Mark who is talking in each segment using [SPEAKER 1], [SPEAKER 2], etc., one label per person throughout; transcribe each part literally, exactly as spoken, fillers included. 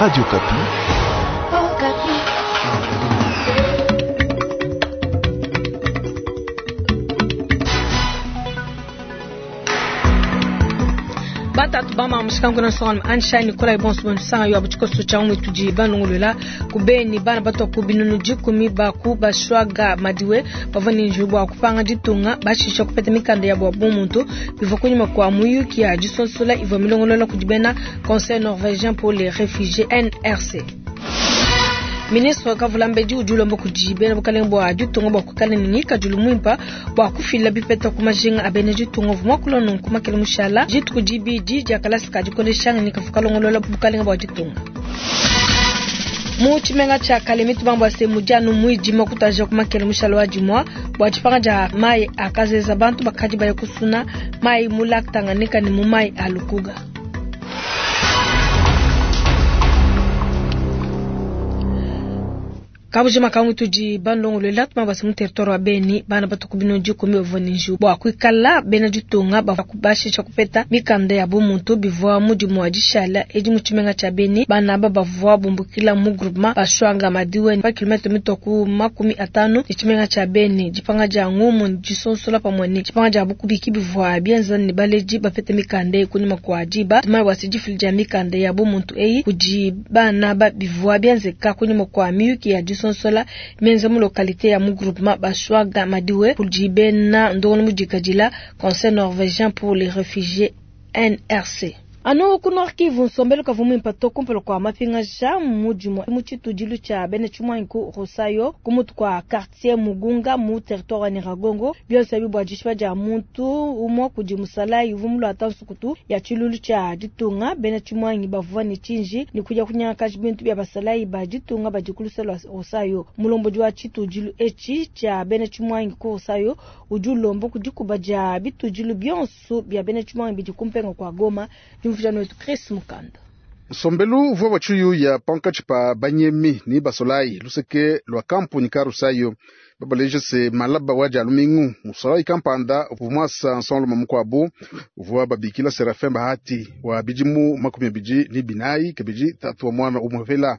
[SPEAKER 1] Radio Okapi.
[SPEAKER 2] Batatu bama mushikangu na nsonga Anshine Nikolai bonso bonso yo abuchiko cha umwe tudi banongolola kubeni bana batwa ku binunu dikumi baku bashwaga madiwe bavua ne njubu bua kupanga ditunga bashisha kupeta mikanda ya bua bumuntu bivua kunyima kua muyuki ya disonsola ivua milongolola kudi bena Conseil norvégien pour les réfugiés N R C. Ministre Kavulambedi udi ulomba kudi bena bukalenge bua ditunga bua kuikala ne ngikadilu muimpe bua kufila bipeta ku majinga a bena ditunga uvua muakula nunku makele mushala dituku dibidi dia kalasa ka dikoleshanga ne kavua kalongolola bukalenge bua ditunga. Mu tshimenga tshia Kalemi tubambua se mudianu muidima kutaja ku makele mushala wa dimua bua dipanga dia mayi akazeza bantu bakadi baya kusuna mayi mu lac Tanganyika ne mu mayi a Lukuga. Kabujima kangu tudi bandongolola tumabasa mu territoire wa Beni bana batuku bino dikumi bavua ne njiwu bua kuikala bena ditunga bavua bashisha kupeta mikanda ya bumuntu bivua mudimu wa dishala edi mu tshimenga tshia Beni bana aba bavua bumbukila mu groupement bashwanga madiwe pa kilomètre mitoku makumi atanu ne tshimenga tshia Beni dipanga dia ngumu disonsola pamue ne dipanga dia bukubiki bivua bienza ne baleji bapete mikanda eyi kunyima kua diba tumaya bua difila dia mikanda ya bumuntu eyi kudi bana aba bivua bienzeka kunyima kua miyuki ya disonsola menza mu localité ya mu groupement Bashwaga Madiwe kudi bena ndongo mudikadila Conseil norvégien pour les réfugiés N R C. Ano ku Nord Kivu nsombelu kavua muimpe to kumpala kua mapingaja mudimu mu tshitudilu tshia bena tshimuangi ku Rosayo ku mutu kua quartier Mugunga mu territoire wa Nyiragongo bionso ebi bua dishipa dia muntu umue kudi musalayi uvua muluata nsukutu ya tshilulu tshia ditunga bena tshimuangi bavua ne tshinji ne kuya kunyangakaja bintu bia basalayi ba ditunga badi ku luse lua Rosayo. Mulombodi wa tshitudilu etshi tshia bena tshimuangi ku Rosayo udi ulomba ku dikuba dia bitudilu bionso bia bena tshimuangi bidi kumpenga kua Goma. Wetu Chris Mukanda.
[SPEAKER 3] Nsombelu uvua wa tshiyuya pankatshi pa banyemi ni basolayi luseke lua kampuni ka Rusayo babaleje se malaba wa dia lumingu musolayi kampanda uvua muasa nsongalume mukuabu uvua babikila Serafin Bahati wa bidimu makumi abidi ni binayi kabidi tatu wa mwana umwevela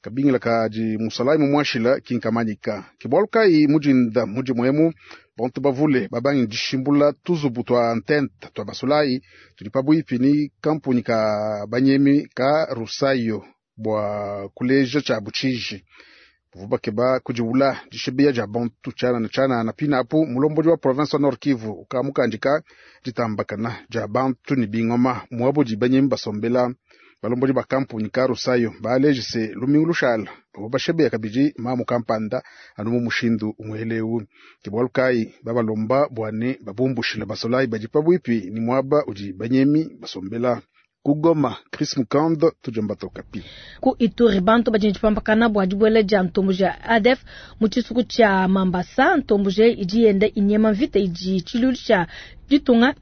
[SPEAKER 3] kabingila kadi musolayi mumuashila kinkamanyika ke bualu kayi mudinda mudimu emu bantu bavule babangi dishimbula tuzubu twa ntente twa basolayi tudi pabuipi ni kampuni ka banyemi ka Rusayo bua kuleja tshia butshiji bavua bakeba kudiwula dishibeya dia bantu tshianana tshianana pinapu mulombodi wa province wa Nord Kivu ukamukandika ditambakana dia bantu ne bingoma muabudi banyemi basombela balombodi ba kampuni ka Rusayo baleje se lumingu lushala bavua bashebeya kabidi mamu kampanda anu mu mushindu umwelewu ke bualu kayi babalomba bua ne babumbushila basolayi badi pabuipi ni muaba udi banyemi basombela. Ku Goma, Chris Mukand, tujamba Okapi.
[SPEAKER 2] Ku Ituri bantu badi ntshipampakana bua dibuela dia ntomboji ya A D F mu tshisuku tshia Mambasa. Ntomboji idi yenda inyema mvita idi tshilulu tshia ditunga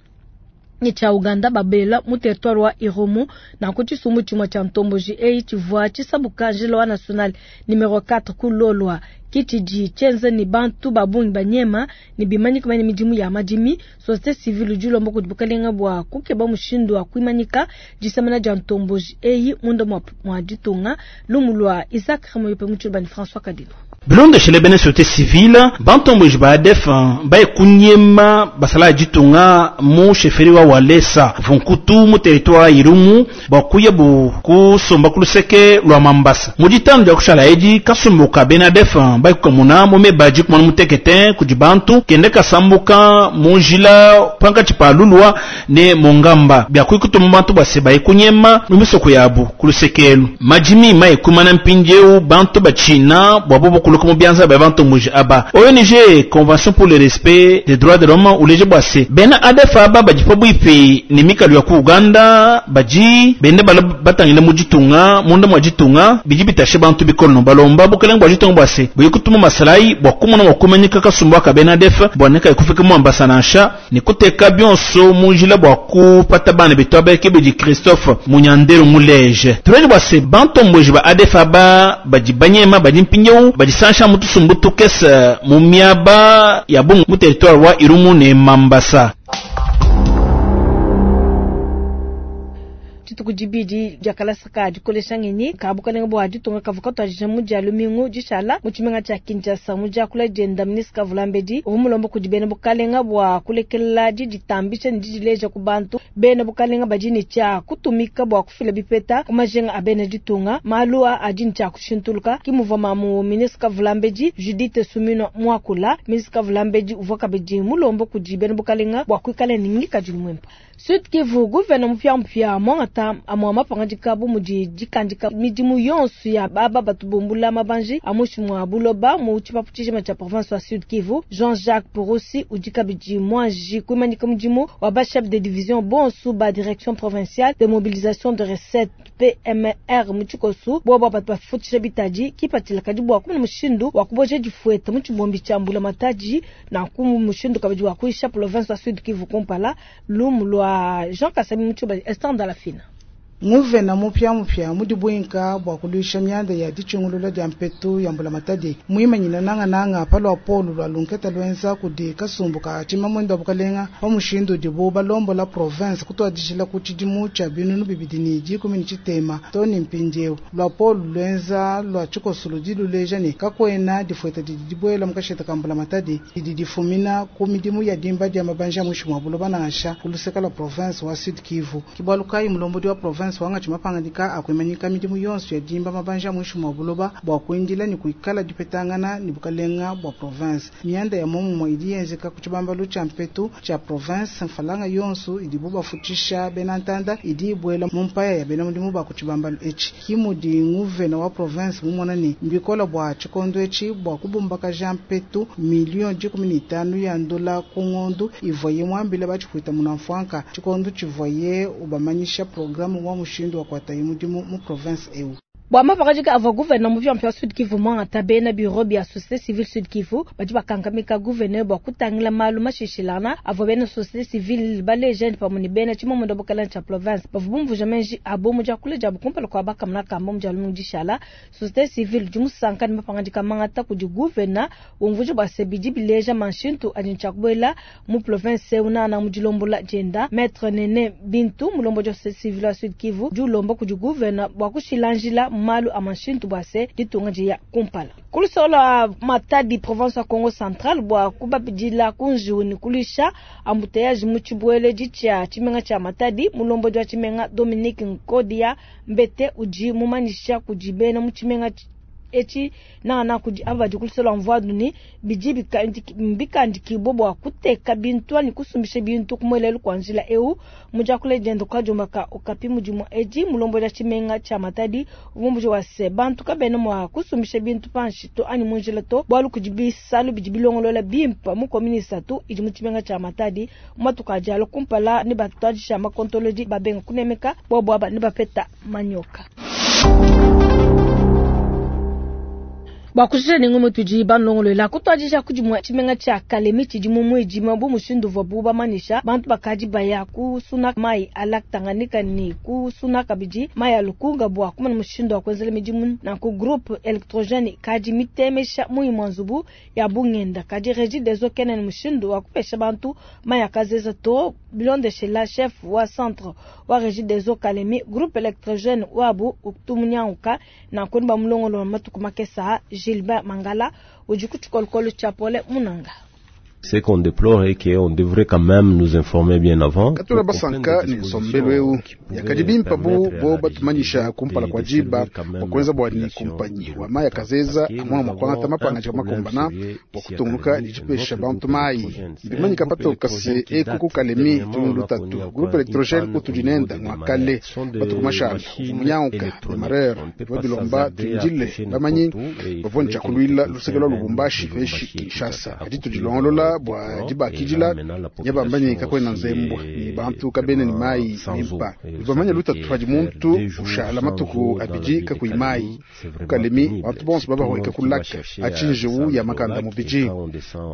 [SPEAKER 2] ne tshia Uganda babela mu territoire wa Irumu na ku tshisumbu tshimue tshia ntomboji eyi tshivua tshisabuka njila wa national numero quatre ku Lolwa kitshidi tshienza ne bantu ba bungi banyema ne bimanyika bane midimu ya madimi. Société civile udi ulomba kudi bukalenga bua kukeba mushindu wa kuimanyika disemena dia ntomboji eyi munda mwa, mwa ditunga. Lumu lua Isaac Ramoyope mu tshilubani François Kadino.
[SPEAKER 4] Bilondeshele bena société civile bantomboji ba A D F baye kunyema basala ya ditunga mu chefferie wa Walesa vunkutu mu territoire ya Irumu bakuya bu kusomba ku luseke lwa Mambasa mu ditanu dia kushala edi kasumbuka bena A D F baye kukamuna mu mebaji kumana mutekete kudi bantu kende kasambuka mu njila pankatshi pa Lulwa ne Mongamba bia kuikutuma bantu base baye kunyema mu misoko yabu ku lusekelu majimi maye kumana mpindieu bantu bachina bua bobo kuluka mu bianza bya bantu muji aba O N G Convention pour le respect des droits de l'homme uleje bwase bena A D F aba badi pabuipi ne mikalu ya ku Uganda badi bende bala batangile mu ditunga munda mwa ditunga bidi bitashe bantu bikolo balomba bukelenge bwa ditunga bwase buye kutuma masalayi bua kumona mwa kumanyika kasumbu aka bena A D F bua neka ikufika mu ambasa nansha ne kuteka bionso mu njila bua kupata bana betu abeke bidi Christophe Munyandero muleje tuleje bwase bantu mboji ba A D F aba badi banyema badi mpinyewu badi sansha mutusumbu tukesa mu miaba ya bungu mu territoire wa Irumu ne Mambasa.
[SPEAKER 2] Dituku dibidi dia kalasa ka dikolesha ngenyi ka bukalenga bua ditunga kavua katuadija mu dia lumingu dishala mu tshimenga tshia Kinshasa. Mu diakula dienda ministre Kavulambedi uvua mulomba kudi bena bukalenga bua kulekela diditambisha ne didileja ku bantu. Bena bukalenga badi ne tshia kutumika bua kufila bipeta ku majinga a bena ditunga. Malu a adi ne tshia kushintuluka. Ki muvua mamu ministre Kavulambedi Judith Suminwa muakula. Ministre Kavulambedi uvua kabidi mulomba kudi bena bukalenga bua kuikala ne ngikadilu muimpe. Sud Kivu, gouverneur mupia-mupia mwangata amwa mapangadika bu mudi dikandika midimu yonso ya baba batubumbula mabanji a muinshi mua buloba mu tshipapu tshijima tshia province wa Sud Kivu. Jean-Jacques Purusi udi kabidi mwanji kuimanyika mudimu wa ba chef de division bonso ba direction provinciale de mobilisation de recettes P M R mu tshikosu bobo batu bafutisha bitadi kipatila kadi bua kumona mushindu wa kuboja difueta mu tshibombi tshia mbula matadi na ku mushindu kabidi wa kuisha province wa Sud Kivu kumpala. Lumu lwa Jean Kasami Mutuba Esther Ndalafina.
[SPEAKER 1] Nguvena mupya mupya mudi bwinka bwa kulwisha myanda ya dichungulula dia mpetu ya mbula matadi mwimanyina nanga nanga palwa polu lwa lunketa lwenza kudi kasumbu ka chimamwendo bukalenga pa mushindu dibu balombo la province kutwadishila ku tshidimu tshia binunu bibidi ni dikumi ni tshitema toni mpindieu lwa polu lwenza lwa tshikosulu diluleja ne kakwena difueta didi dibwela mukasheta ka mbula matadi didi difumina ku midimu ya dimba dia mabanja muinshi mua buloba nansha kuluseka la province wa Sud Kivu. Kibwalukayi mulombodi wa province wanga chimapanganyika akwimanyika midimu yonso ya dimba mabanja muinshi mwa buloba bwa kuindila ni kuikala dipetangana ni bukalenga bwa province. Mianda ya momumwe idi yenzeka ku tshibambalu tshia mpetu tshia province mfalanga yonso idibu bafutisha bena ntanda idi ibwela mu mpaya ya bena mudimu ba ku tshibambalu etshi. Kimudi nguvena wa province mumona ni mbikola bwa tshikondo etshi bwa kubumbakaja mpetu million dikumi ni itanu ya ndola ku ngondu ivoye mwambile batshipwita munamfwanka tshikondo tshivoye ubamanyisha programme wa mushindu wa kwata mudimu mu province eu.
[SPEAKER 2] Bwa mapakajika avua gouverneur mupya mpya Sud Kivu mwangata bena bureau bia société civile Sud Kivu badi bakankamika gouverneur bwa kutangila malu mashishilana avua bena société civile baleje pamwe ne bena tshimomondo bukala tshia province bavua bumvuja menji abo mu diakula diabu kumpala kua bakamuna kamba mu dia lumingu dishala. Société civile udi musanka ne mapangajika mangata kudi gouverneur umvuja bua se bidi bileja manshintu adi ntshiakubuela mu province eu nana mu dilombola dienda. Maître Nene Bintu mulombo dia société civile wa Sud Kivu udi ulomba kudi gouverneur bua kushilanjila malu a mashintu bua se ditunga dia kumpala. Kulusola Matadi province ya Congo Central bua kubabidila kunjiu ni kulisha embouteillage mu tshibuele ditshia tshimenga tshia Matadi. Mulombodi wa tshimenga Dominique Nkodia Mbete udi mumanyisha kudi bena mu tshimenga etshi nana kudi abadi kulusola mvwadu ni bidi bikandikibwa bua kuteka bintu ani kusumbisha bintu kumwelelu kwa njila eu mujakule jendo kwa jomaka okapi mudimu edi mulombodi wa tshimenga tshia Matadi uvumbuji wa se bantu kabena mwa kusumbisha bintu panshi to ani munjila to bwalu kudi bisalu bidi bilongolola bimpa mu commune satu idi mu tshimenga tshia Matadi matuka jalo kumpala ne batwadisha makontolodi babenga kunemeka bwa bwa ne bapeta manyoka. Bwa kushija nengo mutudi banlongolola kutwadisha kudi mwa tshimenga tshia Kalemi tshidi mu mwidi bu mushindu uvua bu bamanyisha bantu bakadi baya kusuna mai a lac Tanganyika ni kusuna kabidi mai a Lukunga bua kumana mushindu wa kuenzela midimu na ku groupe électrogène kadi mitemesha mui mwa nzubu ya bungenda kadi Regideso kenen mushindu wa kupesha bantu mai akazeza to bilondeshela chef wa centre wa Regideso Kalemi groupe électrogène wabu utumunyanguka na kuni bamulongolo matuku makesa. Gilbert Mangala udi ku tshikolokolo tshia Pole Munanga.
[SPEAKER 5] Ce qu'on déplore est qu'on devrait quand même nous informer bien avant.
[SPEAKER 3] Katula basanka ni nsombelu eu yakadi bimpa bu bo batumanyisha kumpala kwa jiba bua kuenza bua ni kumpanyi wa mai akazeza amwana mwa kuangata mapanga tshia makumbana bua kutungunuka ni tshipesha bantu mai bimanyika patoka se eku ku Kalemi tulundu lutatu groupe électrogène utudi nenda mwa kale batuku mashala umunyanguka demareur babilomba tuindile bamanyi bavua ntshiakulwila luseke lwa Lubumbashi peshi Kinshasa kadi tudilongolola bua dibakidila nyabambanye kakwena nzembwa ni bantu kabene ni mai nimpa bamanya lutatu padi muntu ushala matuku abidi kakuyi mai kukalemi bantu bonso babahweka kulaka achinjiwu ya makanda mubiji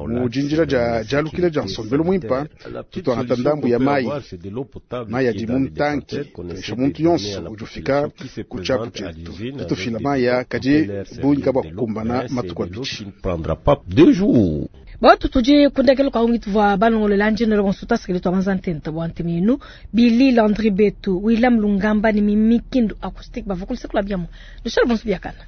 [SPEAKER 3] mujinjira ja jalukila ja nsombelu mwimpa tutwangata ndambu ya mai mai adi mu ntanki tuesha muntu yonso udi ufika ku tshiapu tshietu tutufila mai ya kadi bungi kabua kukumbana matuku abidi.
[SPEAKER 2] Batu tudi Tufiki kundekelo kwa ungi tuvua balongolola njino bonso tasikili twa manzantenta bwa ntemenu Billy Landry Betu William Lungamba ni Mimi Kindu acoustique bavukulu sekula biamo. Lushalo bonso biakana.